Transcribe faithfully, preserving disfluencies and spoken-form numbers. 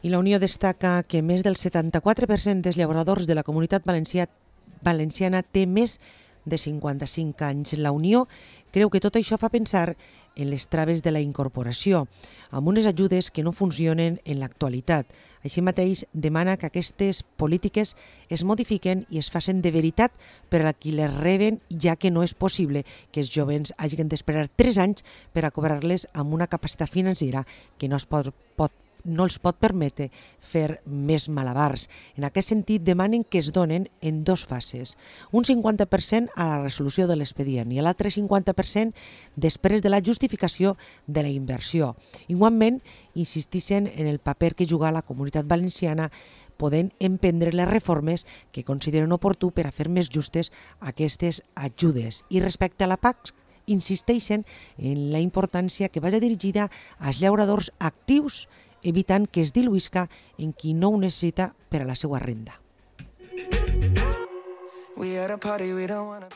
I la Unió destaca que més del setanta-quatre per cent dels llauradors de la Comunitat Valencià, Valenciana té més de cinquanta-cinc anys. La Unió creu que tot això fa pensar en les traves de la incorporació, amb unes ajudes que no funcionen en l'actualitat. Així mateix, demana que aquestes polítiques es modifiquen i es facin de veritat per a qui les reben, ja que no és possible que els jovens hagin d'esperar tres anys per a cobrar-les amb una capacitat financera que no es pot, pot no els pot permetre fer més malabars. En aquest sentit, demanen que es donen en dos fases. Un cinquanta per cent a la resolució de l'expedient i l'altre cinquanta per cent després de la justificació de la inversió. Igualment, insisteixen en el paper que juga la Comunitat Valenciana podent emprendre les reformes que consideren oportú per a fer més justes aquestes ajudes. I respecte a la P A C, insisteixen en la importància que vagi dirigida als llauradors actius, evitant que es diluïsca en qui no ho necessita per a la seva renda.